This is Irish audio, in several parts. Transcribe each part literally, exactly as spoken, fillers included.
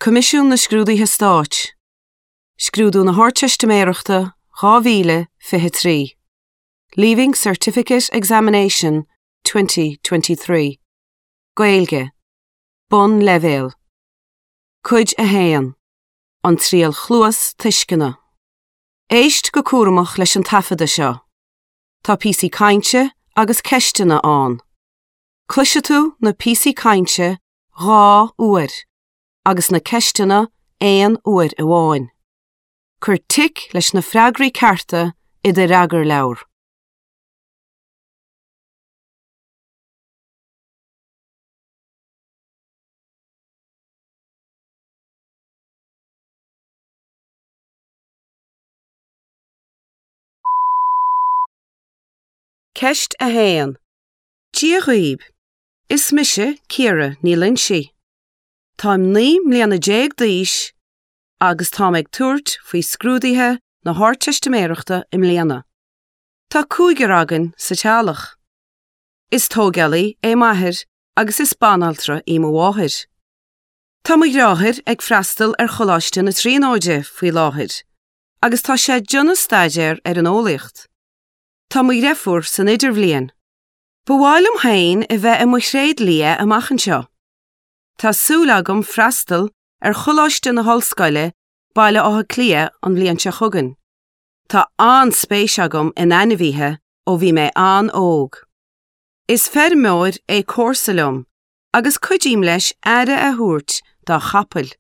Coimisiún na Scrúduithe Stáit. Scrúdú na hArdteistiméireachta dhá mhíle fiche trí. Leaving Certificate Examination twenty twenty three. Gaeilge. Bonnleibhéal. Cuid a haon. An Triail Chluas Tuisceana. Éist go cúramach leis an taifeadadh seo. Tá píosaí cainte agus ceisteanna ann. Cloisfidh tú na píosaí cainte dhá uair agus na ceisteanna aon uair amháin. Cuir tic leis na freagraí cearta i do fhreagarleabhar. Ceist a haon. Dia dhaoibh. Is mise Ciara Ní Loinsigh. Táim naoi mbliana déag d'aois agus táim ag tabhairt faoi scrúduithe na hArdteistiméireachta i mbliana. Tá cúigear againn sa teaghlach. Is tógálaí é m'athair agus is banaltra í mo mháthair. Tá mo dheartháir ag freastal ar Choláiste na Tríonóide faoi láthair, agus tá sé ag déanamh staidéar ar an eolaíocht. Tá mo dheirfiúr san idirbhliain. Ba mhaith liom féin a bheith i mo thréidlia amach anseo. Tá súil agam freastal ar Choláiste na hOllscoile, Baile Átha Cliath an bhliain seo chugainn. Tá an-spéis agam in ainmhithe ó bhí mé an-óg. Is feirmeoir é comharsa liom agus cuidím leis aire a thabhairt dá chapaill.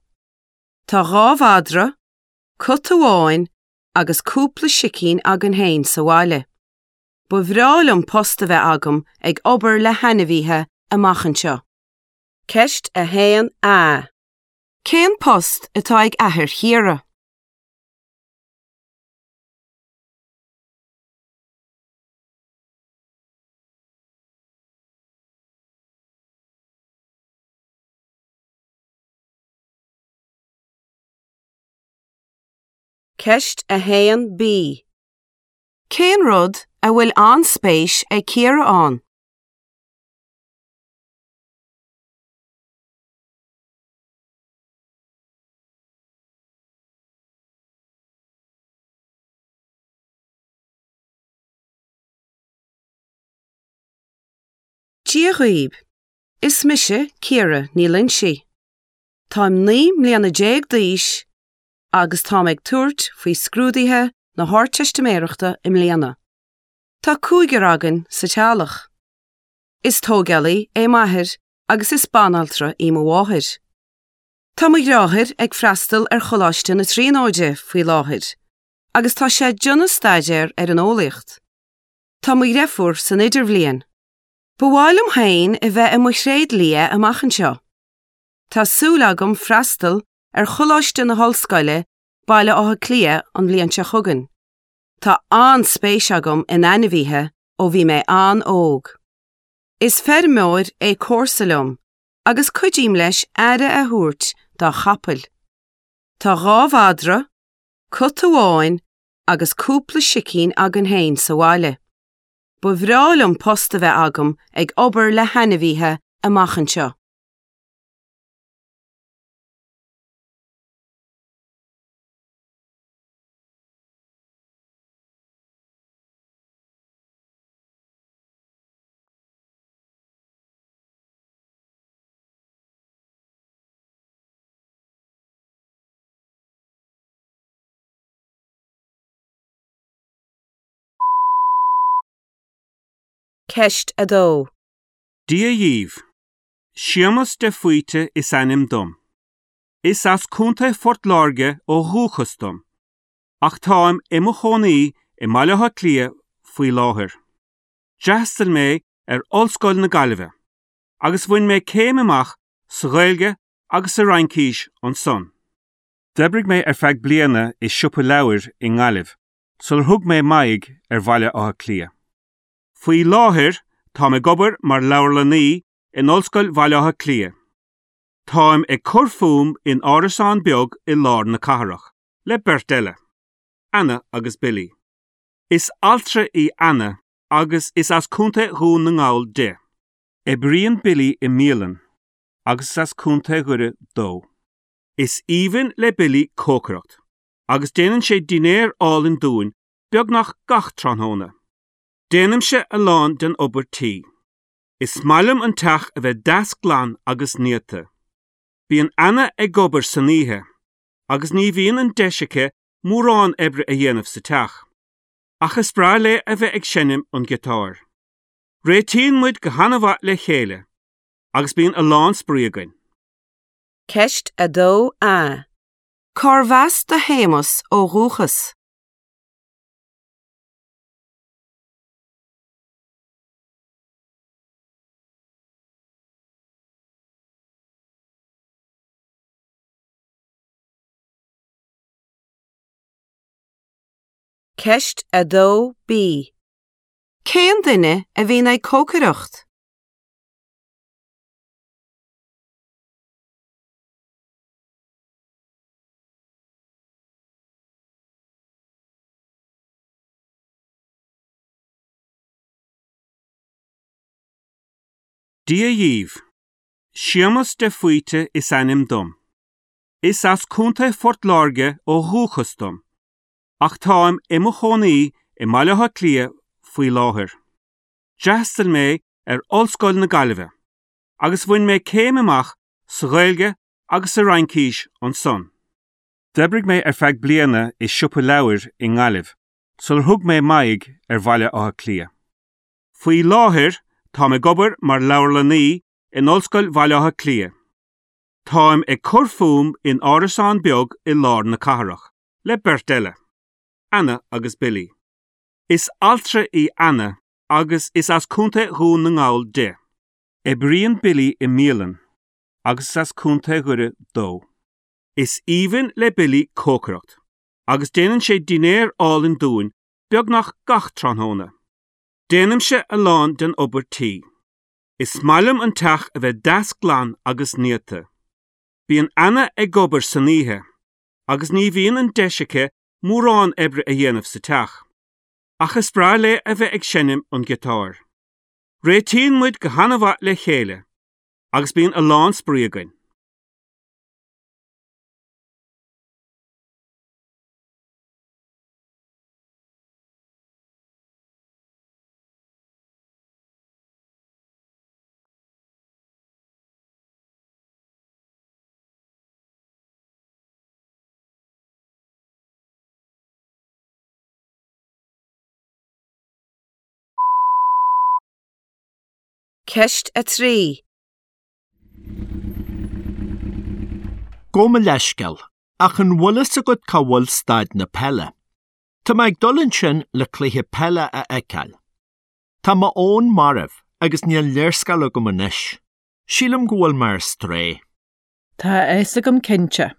Tá dhá mhadra, cat amháin agus cúpla sicín againn féin sa bhaile. Ba bhreá liom post a bheith agam ag obair le hainmhithe amach anseo. Ceist a haon A. Cén post atá ag athair Chiara? Ceist a haon B. Cén rud a bhfuil an-spéis ag Ciara ann? Dia dhaoibh. Is mise Ciara Ní Loinsigh. Táim naoi mbliana déag d'aois agus táim ag tabhairt faoi scrúduithe na hArdteistiméireachta i mbliana. Tá cúigear againn sa teaghlach. Is tógálaí é m'athair agus is banaltra í mo mháthair. Tá mo dheartháir ag freastal ar Choláiste na Tríonóide faoi láthair, agus tá sé ag déanamh staidéar ar an eolaíocht. Tá mo dheirfiúr san idirbhliain. Ba mhaith liom féin a bheith i mo thréidlia amach anseo. Tá súil agam freastal ar Choláiste na hOllscoile, Baile Átha Cliath an bhliain seo chugainn. Tá an-spéis agam in ainmhithe ó bhí mé an-óg. Is feirmeoir é comharsa liom agus cuidím leis aire a thabhairt dá chapaill. Tá dhá mhadra, cat amháin agus cúpla sicín againn féin sa bhaile. Ba bhreá liom post a bheith agam ag obair le hainmhithe amach anseo. Ceist a dó. Dia dhaoibh. Séamus de Faoite is ainm dom. Is as Contae Phort Láirge ó dhúchas dom, ach táim i mo chónaí i mBaile Átha Cliath faoi láthair. D'fhreastail mé ar Ollscoil na Gaillimhe, agus bhain mé céim amach sa Ghaeilge agus sa Fhraincis ansan. D'oibrigh mé ar feadh bliana i siopa leabhar i nGaillimh, sular thug mé m'aghaidh ar Bhaile Átha Cliath. Faoi láthair táim ag obair mar leabharlannaí in Ollscoil Bhaile Átha Cliath. Táim ag cur fúm in árasán beag i lár na cathrach, le beirt eile, Anna agus Billy. Is altra í Anna agus is as Contae Dhún na nGall di. Oibríonn Billy i mbialann agus is as Contae Dhoire dó. Is aoibhinn le Billy cócaireacht, agus déanann sé dinnéar álainn dúinn beagnach gach tráthnóna. Déanaimse a lán den obair tí. Is maith liom an teach a bheith deas glan agus néata. Bíonn Anna ag obair san oíche, agus ní bhíonn an deis aici mórán oibre a dhéanamh sa teach. Ach is breá léi a bheith ag seinm an giotáir. Réitíonn muid go han-mhaith le chéile, agus bíonn a lán spraoi againn. Ceist a dó A. Cárbh as do Shéamus ó dhúchas? Ceist a dó B. Cén duine a bhíonn ag cócaireacht? Dia dhaoibh. Séamus de Faoite is ainm dom. Is as Contae Phort Láirge ó dhúchas dom, ach táim i mo chónaí i mBaile Átha Cliath faoi láthair. D'fhreastail mé ar Ollscoil na Gaillimhe, agus bhain mé céim amach sa Ghaeilge agus sa Fhraincis ansan. D'oibrigh mé ar feadh bliana i siopa leabhar i nGaillimh, sular thug mé m'aghaidh ar Bhaile Átha Cliath. Faoi láthair táim ag obair mar leabharlannaí in Ollscoil Bhaile Átha Cliath. Táim ag cur fúm in árasán beag i lár na cathrach, le beirt eile, Anna agus Billy. Is altra í Anna agus is as Contae Dhún na nGall di. Oibríonn Billy i mbialann agus is as Contae Dhoire dó. Is aoibhinn le Billy cócaireacht, agus déanann sé dinnéar álainn dúinn beagnach gach tráthnóna. Déanaimse a lán den obair tí. Is maith liom an teach a bheith deas glan agus néata. Bíonn Anna ag obair san oíche, agus ní bhíonn an deis aici mórán oibre a dhéanamh sa teach. Ach is breá léi a bheith ag seinm an giotáir. Réitíonn muid go han-mhaith le chéile, agus bíonn a lán spraoi againn. Ceist a trí. Gabh mo leithscéal, ach an bhfuil fhios agat cá bhfuil staid na peile? Tá mé ag dul ansin le cluiche peile a fheiceáil. Tá mo fhón marbh agus níl léarscáil agam anois. Sílim go bhfuil mé ar strae. Tá a fhios agam cinnte.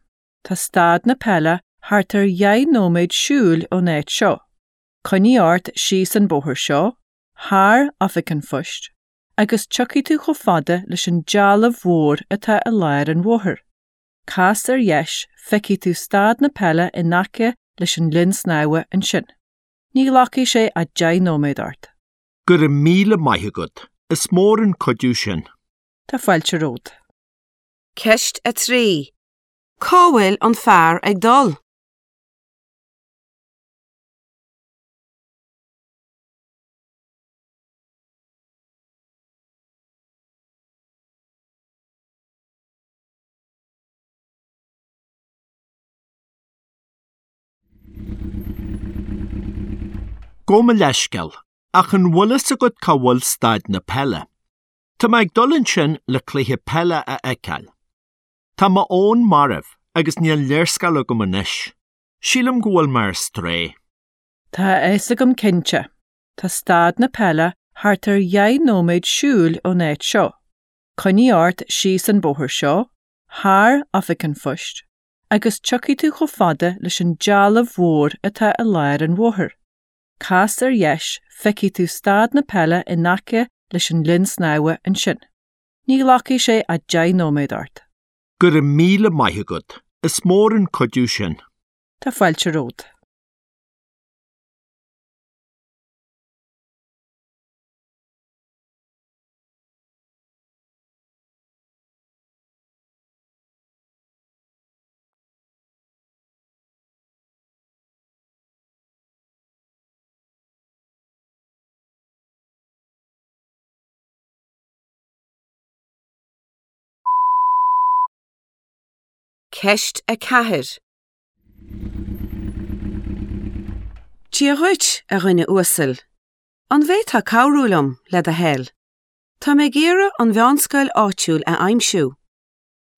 Tá staid na peile thart ar dheich nóiméad siúil ón áit seo. Coinnigh ort síos an bóthar seo, thar oifig an phoist, agus tiocfaidh tú chomh fada leis an dealbh mhór atá i lár an bhóthair. Cas ar dheis, feicfidh tú staid na peile in aice leis an linn snámha ansin. Ní ghlacfaidh sé ach deich nóiméad ort. Go raibh míle maith agat, is mór an cuidiú sin. Tá fáilte romhat. Ceist a trí. Cá bhfuil an fear ag dul? Gabh mo leithscéal, ach an bhfuil fhios agat cá bhfuil staid na peile? Tá mé ag dul ansin le cluiche peile a fheiceáil. Tá mo fhón marbh agus níl léarscáil agam anois. Sílim go bhfuil mé ar strae. Tá a fhios agam cinnte. Tá staid na peile thart ar dheich nóiméad siúil ón áit seo. Coinnigh ort síos an bóthar seo, thar oifig an phoist, agus tiocfaidh tú chomh fada leis an dealbh mhór atá i lár an bhóthair. Cas ar dheis, feicfidh tú staid na peile in aice leis an linn snámha ansin. Ní ghlacfaidh sé ach deich nóiméad ort. Go raibh míle maith agat, is mór an cuidiú sin. Tá fáilte romhat. Ceist a ceathair. Dia dhuit, a dhuine uasail. An bhféadfá cabhrú liom, le do thoil? Tá mé ag iarraidh an mheánscoil áitiúil a aimsiú.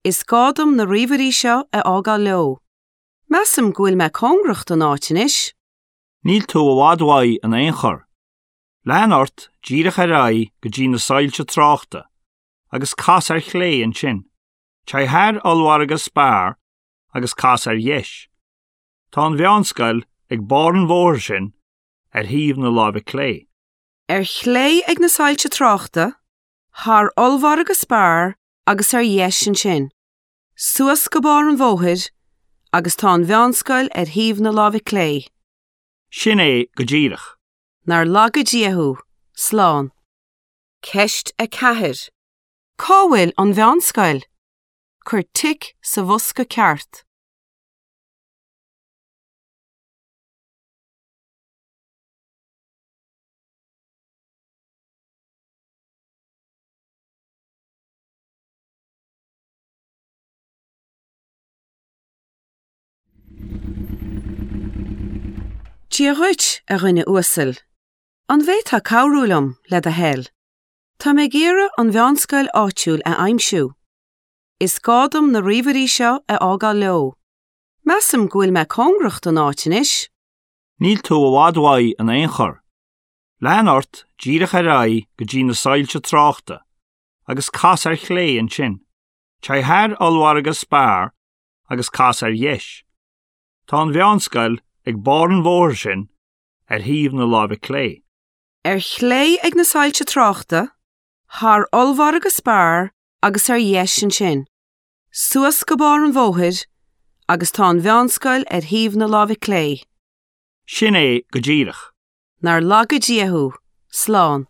Is gá dom na ríomhairí seo a fhágáil leo. Measaim go bhfuil mé cóngarach don áit anois. Níl tú i bhfad uaidh in aon chor. Lean ort díreach ar aghaidh go dtí na soilse tráchta, agus cas ar chlé ansin. Téigh thar ollmhargadh Spar agus cas ar dheis. Tá an mheánscoil ag barr an bhóthair sin ar thaobh na láimhe clé. Ar chlé ag na soilse tráchta, thar ollmhargadh Spar agus ar dheis ansin. Suas go barr an bhóthair agus tá an mheánscoil ar thaobh na láimhe clé. Sin é go díreach. Nár laga Dia thú, slán. Ceist a ceathair. Cá bhfuil an mheánscoil? Cuir tic sa bhosca ceart. Dia dhuit, a dhuine uasail. An bhféadfá cabhrú liom, le do thoil? Tá mé ag iarraidh an mheánscoil áitiúil a aimsiú. Is gá dom na ríomhairí seo a fhágáil leo. Measaim go bhfuil mé cóngarach don áit anois. Níl tú i bhfad uaidh in aon chor. Lean ort díreach ar aghaidh go dtí na soilse tráchta, agus cas ar chlé ansin. Téigh thar ollmhargadh Spar agus cas ar dheis. Tá an mheánscoil ag barr an bhóthair sin ar thaobh na láimhe clé. Ar chlé ag na soilse tráchta, thar ollmhargadh Spar agus ar dheis ansin. Suas go barr an bhóthair agus tá an mheánscoil ar thaobh na láimhe clé. Sin é go díreach. Nár laga Dia thú, slán.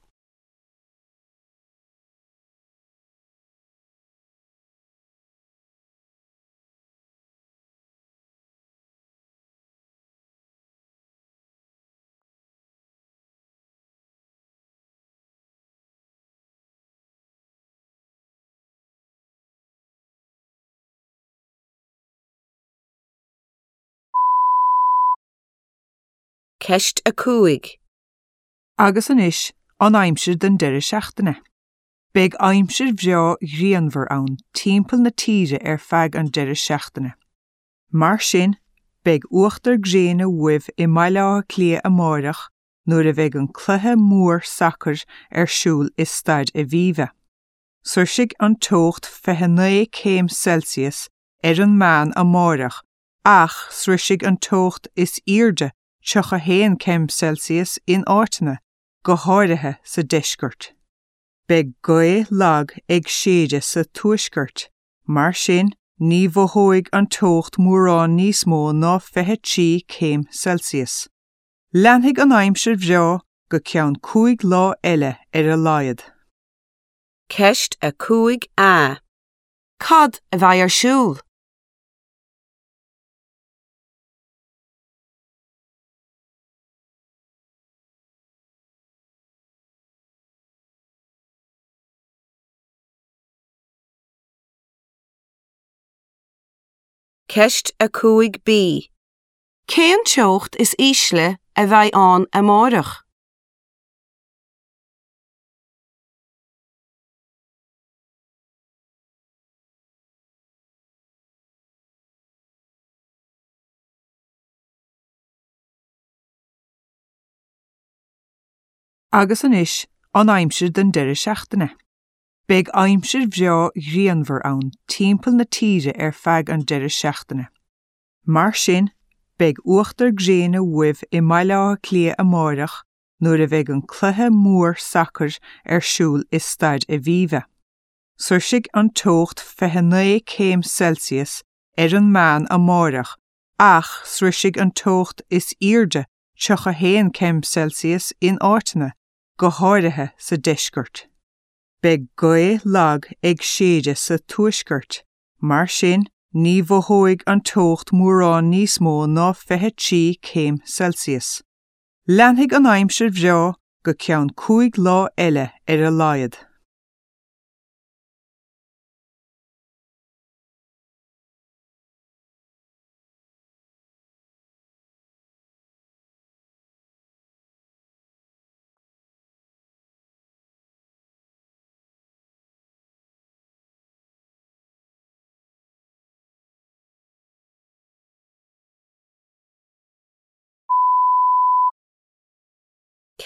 Ceist a cúig. Agus anois, an aimsir don deireadh seachtaine. Beidh aimsir bhreá ghrianmhar ann timpeall na tíre ar feadh an deireadh seachtaine. Mar sin, beidh uachtar gréine uaibh i mBaile Átha Cliath amárach nuair a bheidh an cluiche mór sacair ar siúl i Staid Aviva. Sroichfidh an teocht fiche naoi céim Celsius ar an meán amárach ach sroichfidh an teocht is airde tríocha haon céim Celsius in áiteanna, go háirithe sa deisceart. Beidh gaoth lag ag séideadh sa tuaisceart, mar sin ní mhothóidh an teocht mórán níos mó ná fiche trí céim Celsius. Leanfaidh an aimsir bhreá go ceann cúig lá eile ar a laghad. Ceist a cúig A. Cad a bheidh ar siúl? Ceist a cúig B. Cén teocht is ísle a bheidh ann amárach? Agus anois, an aimsir don deireadh seachtaine. Beidh aimsir bhreá ghrianmhar ann timpeall na tíre ar feadh an deireadh seachtaine. Mar sin, beidh uachtar gréine uaibh i mBaile Átha Cliath amárach nuair a bheidh an cluiche mór sacair ar siúl i Staid Aviva. Sroichfidh an teocht fiche naoi céim Celsius ar an meán amárach ach sroichfidh an teocht is airde tríocha haon céim Celsius in áiteanna, go háirithe sa deisceart. Beidh gaoth lag ag séideadh sa tuaisceart, mar sin ní mhothóidh an teocht mórán níos mó ná fiche trí céim Celsius. Leanfaidh an aimsir bhreá go ceann cúig lá eile ar a laghad.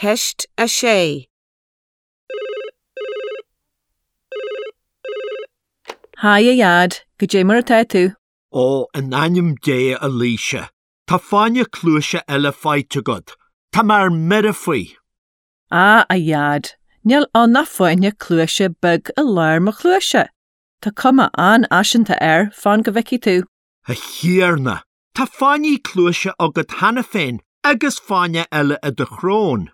Ceist a sé. Haigh a Dhaid, goidé mar atá tú? Ó, in ainm Dé a Laoise, tá fáinne cluaise eile faighte agat. Tá mé ar mire faoi. Á, a Dhaid, níl ann ach fáinne cluaise beag i lár mo chluaise. Tá cuma an-fhaiseanta air, fan go bhfeicfidh tú. A Thiarna, tá fáinní cluaise agat cheana féin agus fáinne eile i do shrón.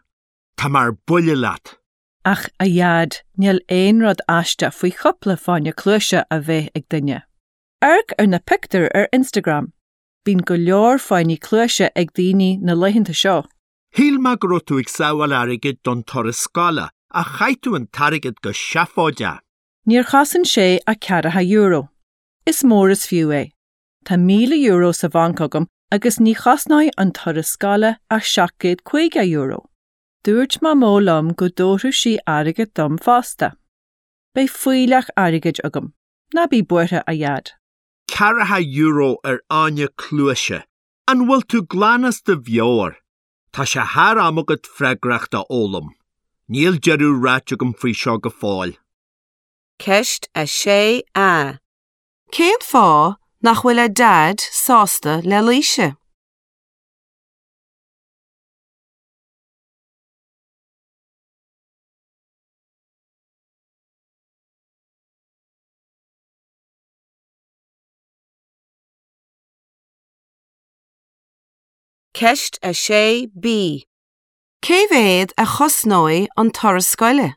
Tá mé ar buile leat. Ach a Dhaid, níl aon rud aisteach faoi chúpla fáinne cluaise a bheith ag duine. Amharc ar na pictiúir ar Instagram. Bíonn go leor fáinní cluaise ag daoine na laethanta seo. Shíl mé go raibh tú ag sábháil airgid don turas scoile, ach chaith tú an t-airgead go seafóideach. Níor chosain sé ach ceathracha euro. Is mór is fiú é. Tá míle euro sa bhanc agam agus ní chosnóidh an turas scoile ach seacht gcéad caoga euro. Dúirt Mamó liom go dtabharfadh sí airgead dom fosta. Beidh fuílleach airgid agam. Ná bí buartha, a Dhaid. Ceathracha euro ar fháinne cluaise. An bhfuil tú glan as do mheabhair? Tá sé thar am agat freagracht a fhoghlaim. Níl deireadh ráite agam faoi seo go fóill. Ceist a sé A. Cén fáth nach bhfuil a Daid sásta le Laoise? Ceist a sé B. Cé mhéad a chosnóidh an turas scoile?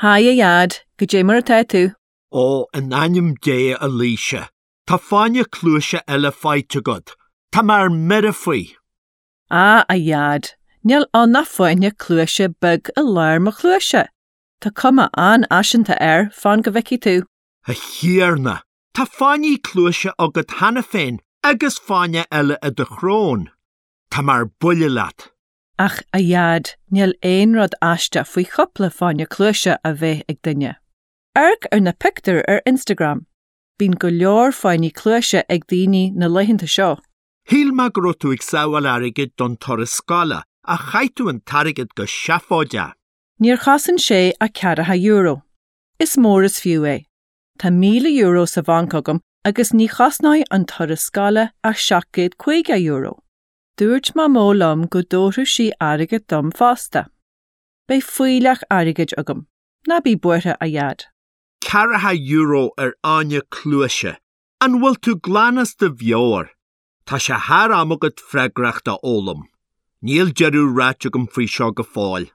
Haigh a Dhaid, goidé mar atá tú? Ó, in ainm Dé a Laoise, tá fáinne cluaise eile faighte agat. Tá mé ar mire faoi. Á, a Dhaid, níl ann ach fáinne cluaise beag i lár mo chluaise. Tá cuma an-fhaiseanta air, fan go bhfeicfidh tú. A Thiarna, tá fáinní cluaise agat cheana féin agus fáinne eile i do shrón. Tá mé ar buile leat. Ach a Dhaid, níl aon rud aisteach faoi chúpla fáinne cluaise a bheith ag duine. Amharc ar na pictiúir ar Instagram. Bíonn go leor fáinní cluaise ag daoine na laethanta seo. Shíl mé go raibh tú ag sábháil airgid don turas scoile, ach chaith tú an t-airgead go seafóideach. Níor chosain sé ach ceathracha euro. Is mór is fiú é. Tá míle euro sa bhanc agam agus ní chosnóidh an turas scoile ach seacht gcéad caoga euro. Dúirt Mamó liom go dtabharfadh sí airgead dom fosta. Beidh fuílleach airgid agam. Ná bí buartha, a Dhaid. Ceathracha euro ar fháinne cluaise. An bhfuil tú glan as do mheabhair? Tá sé thar am agat freagracht a fhoghlaim. Níl deireadh ráite agam faoi seo go fóill.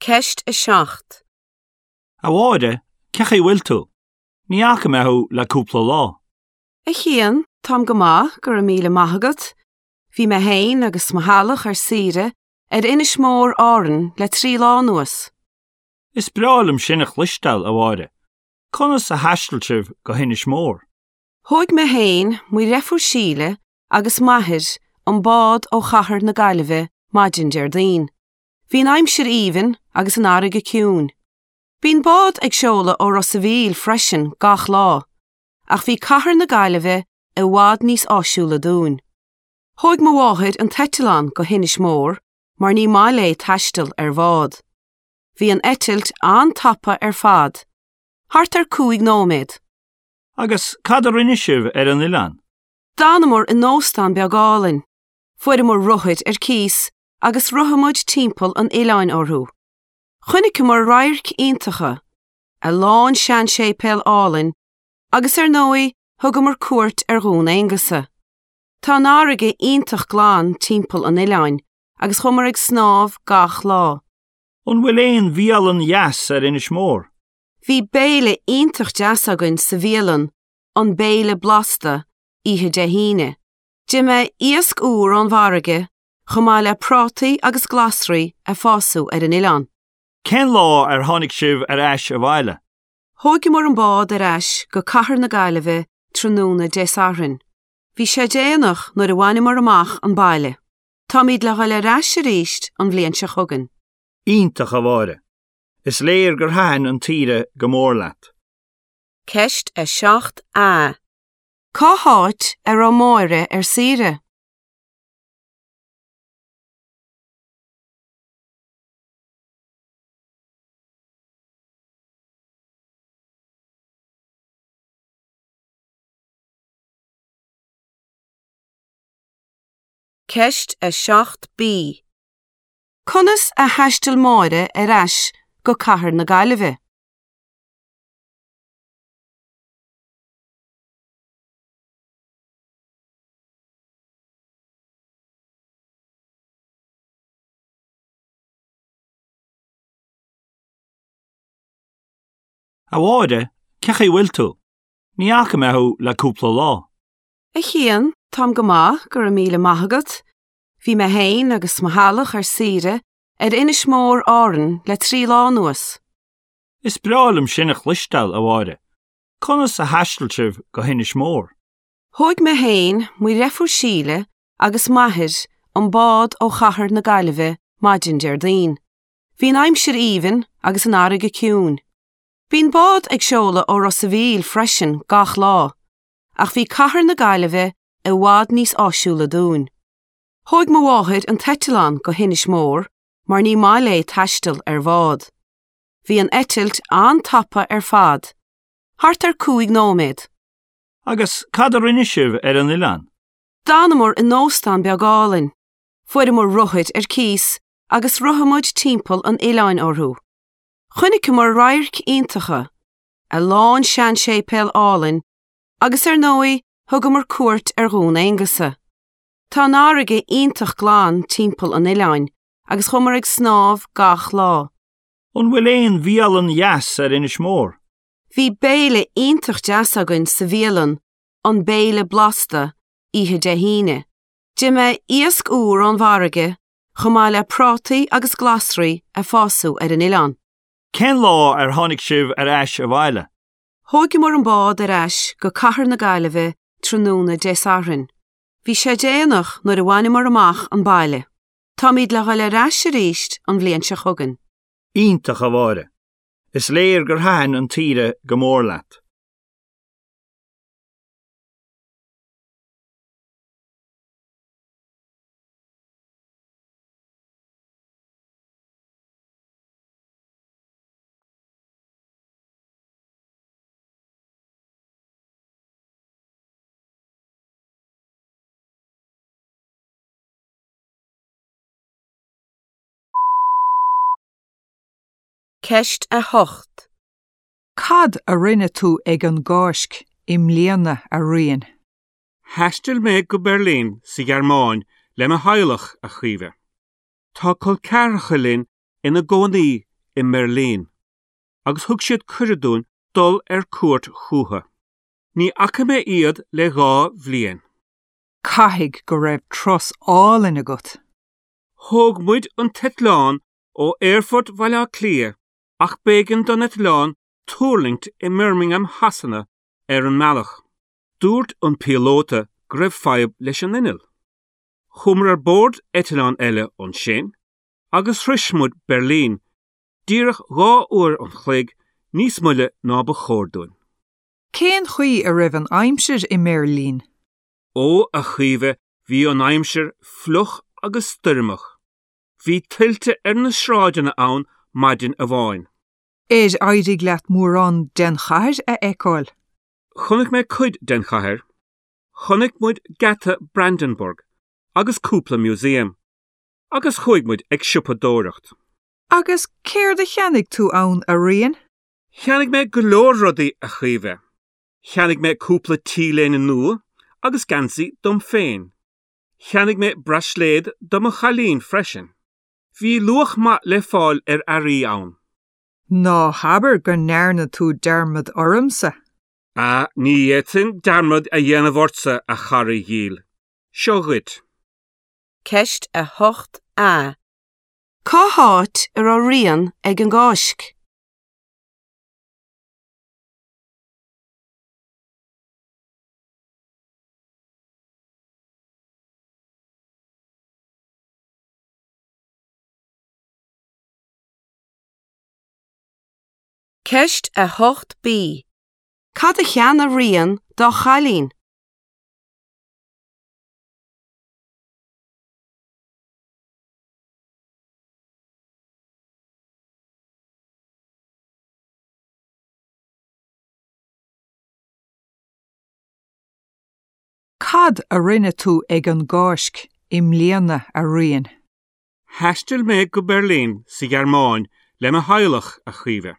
Ceist a seacht. A Mháire, cén chaoi a bhfuil tú? Ní fhaca mé thú le cúpla lá. A Chian, táim go maith, go raibh míle maith agat. Bhí mé féin agus mo theaghlach ar saoire ar Inis Mór Árann le trí lá anuas. Is breá liom sin a chloisteáil, a Mháire. Conas a thaistil sibh go hInis Mór? Thóg mé féin, mo dheirfiúr Síle agus m'athair an bád ó chathair na Gaillimhe maidin Déardaoin. Bhí an aimsir aoibhinn agus an fharraige ciúin. Bíonn bád ag seoladh ó Ros an Mhíl freisin gach lá, ach bhí cathair na Gaillimhe i bhfad níos áisiúla dúinn. Thóg mo mháthair an t-eitleán go hInis Mór mar ní maith léi taisteal ar bhád. Bhí an eitilt an-tapa ar fad, thart ar cúig nóiméad. Agus cad a rinne sibh ar an oileán? D'fhanamar in óstán beag álainn. Fuaireamar rothair ar cíos agus rothaigh muid timpeall an oileáin orthu. Chonaiceamar radhairc iontacha, a lán seanséipéal álainn, agus ar ndóigh thugamar cuairt ar Dhún Aonghasa. Tá an fharraige iontach glan timpeall an oileáin agus chuamar ag snámh gach lá. An bhfuil aon bhialann dheas ar Inis Mór? Bhí béile iontach deas againn sa bhialann, an Béile Blasta, oíche Dé hAoine. D'ith mé iasc úr ón bhfarraige, chomh maith le prátaí agus glasraí a fásadh ar an oileán. Cén lá ar tháinig sibh ar ais abhaile? Thógamar an bád ar ais go cathair na Gaillimhe tráthnóna Dé Sathairn. Bhí sé déanach nuair a bhaineamar amach an baile. Táimid le dhul ar ais arís an bhliain seo chugainn. Iontach a Mháire. Is léir gur thaitin an tsaoire go mór leat. Ceist a seacht A. Cá háit a raibh Máire ar saoire? Ceist a seacht B. Conas a thaistil Máire ar ais go cathair na Gaillimhe? A Mháire, cén chaoi a bhfuil tú? Ní fhaca mé thú le cúpla lá. A Chian, táim go maith, go raibh míle maith agat. Bhí mé féin agus mo theaghlach ar saoire ar Inis Mór Árann le trí lá anuas. Is breá liom sin a chloisteáil, a Mháire. Conas a thaistil sibh go hInis Mór? Thóg mé féin, mo dheirfiúr Síle agus m'athair an bád ó chathair na Gaillimhe maidin Déardaoin. Bhí an aimsir aoibhinn agus an fharraige ciúin. Bíonn bád ag seoladh ó Ros an Mhíl freisin gach lá, ach bhí cathair na Gaillimhe i bhfad níos áisiúla dúinn. Thóg mo mháthair an t-eitleán go hInis Mór mar ní maith léi taisteal ar bhád. Bhí an eitilt an-tapa ar fad, thart ar cúig nóiméad. Agus cad a rinne sibh ar an oileán? D'fhanamar in óstán beag álainn. Fuaireamar rothair ar cíos agus rothaigh muid timpeall an oileáin orthu. Chonaiceamar radhairc iontacha, a lán seanséipéal álainn, agus ar ndóigh thugamar cuairt ar Dhún Aonghasa. Tá an fharraige iontach glan timpeall an oileáin agus chuamar ag snámh gach lá. An bhfuil aon bhialann dheas ar Inis Mór? Bhí béile iontach deas againn sa bhialann, an Béile Blasta, oíche Dé hAoine. D'ith mé iasc úr ón bhfarraige, chomh maith le prátaí agus glasraí a fásadh ar an oileán. Cén lá ar tháinig sibh ar ais abhaile? Thógamar an bád ar ais go cathair na Gaillimhe tráthnóna Dé Sathairn. Bhí sé déanach nuair a bhaineamar amach an baile. Táimid le dhul ar ais arís an bhliain seo chugainn. Iontach a Mháire. Is léir gur thaitin an tsaoire go mór leat. Ceist a hocht. Cad a rinne tú ag an gCáisc i mbliana a Rían? Thaistil mé go Beirlín sa Ghearmáin le mo theaghlach, a Chaoimhe. Tá col ceathracha linn ina gcónaí i mBeirlín, agus thug siad cuireadh dúinn dul ar cuairt chucu. Ní fhaca mé iad le dhá bhliain. Caithfidh go raibh turas álainn agat. Thóg muid an t-eitleán ó Aerfort Bhaile Átha Cliath ach b'éigean don eitleán tuirlingt i mBirmingham Shasana ar an mbealach. Dúirt an píolóta go raibh fadhb leis an inneall. Chuamar ar bord eitleán eile ansin agus shroich muid Beirlín díreach dhá uair an chloig níos moille ná ba chóir dúinn. Cén chaoi a raibh an aimsir i mBeirlín? Ó a Chaoimhe bhí an aimsir fliuch agus stoirmeach. Bhí tuilte ar na sráideanna ann maidin amháin. Ar éirigh leat mórán den chathair a fheiceáil? Chonaic mé cuid den chathair. Chonaic muid Geata Brandenburg agus cúpla museum, agus chuaigh muid ag siopadóireacht. Agus céard a cheannaigh tú ann a Rían? Cheannaigh mé go leor rudaí a Chaoimhe. Cheannaigh mé cúpla t-léine nua agus geansaí dom féin. Cheannaigh mé braisléad do mo chailín freisin. Bhí luach maith le fáil ar earraí ann. Ná habair go ndearna tú dearmad ormsa. Á, ní fhéadfainn dearmad a dhéanamh ortsa, a chara dhil. Seo dhuit. Ceist a hocht A. Cá háit a raibh Rian ag an gCáisc? Ceist a hocht B. Cad a cheannaigh Rian dá chailín? Cad a rinne tú ag an gCáisc i mbliana, a Riain? Thaistil mé go Beirlín sa Ghearmáin le mo theaghlach, a Chaoimhe.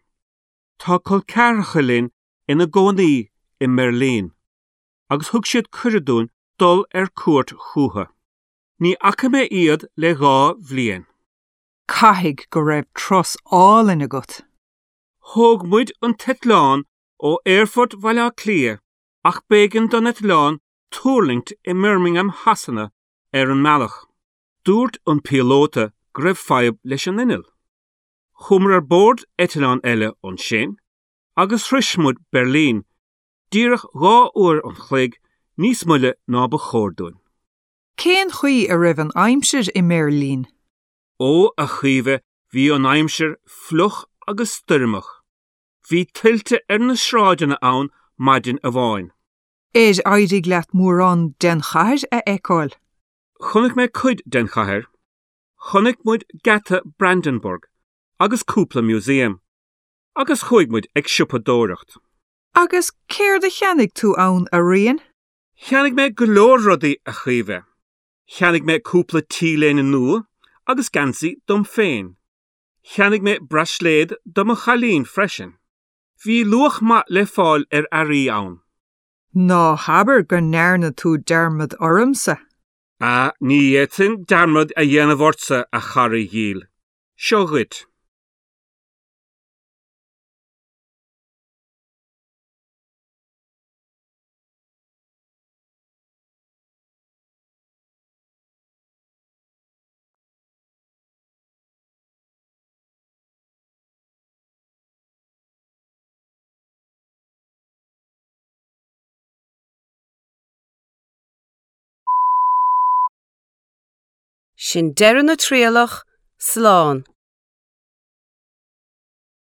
Tá col ceathracha linn ina gcónaí i mBeirlín, agus thug siad cuireadh dúinn dul ar cuairt chucu. Ní fhaca mé iad le dhá bhliain. Caithfidh go raibh turas álainn agat. Thóg muid an t-eitleán ó Aerfort Bhaile Átha Cliath ach b'éigean don eitleán tuirlingt i mBirmingham Shasana ar an mbealach. Dúirt an píolóta go raibh fadhb leis an inneall. Chuamar ar bord eitleán eile ansin agus shroich muid Beirlín díreach dhá uair an chloig níos moille ná ba chóir dúinn. Cén chaoi a raibh an aimsir i mBeirlín? Ó, a Chaoimhe, bhí an aimsir fliuch agus stoirmeach. Bhí tuilte ar na sráideanna ann maidin amháin. Ar éirigh leat mórán den chathair a fheiceáil? Chonaic mé cuid den chathair. Chonaic muid Geata Brandenburg agus cúpla museum, agus chuaigh muid ag siopadóireacht. Agus céard a cheannaigh tú ann, a Riain? Cheannaigh mé go leor rudaí, a Chaoimhe. Cheannaigh mé cúpla t-léine nua agus geansaí dom féin. Cheannaigh mé braisléad do mo chailín freisin. Bhí luach maith le fáil ar earraí ann. Ná habair go ndearna tú dearmad ormsa. Á, ní fhéadfainn dearmad a dhéanamh ortsa, a chara dhil. Seo dhuit. Sin deireadh na trialach, slán.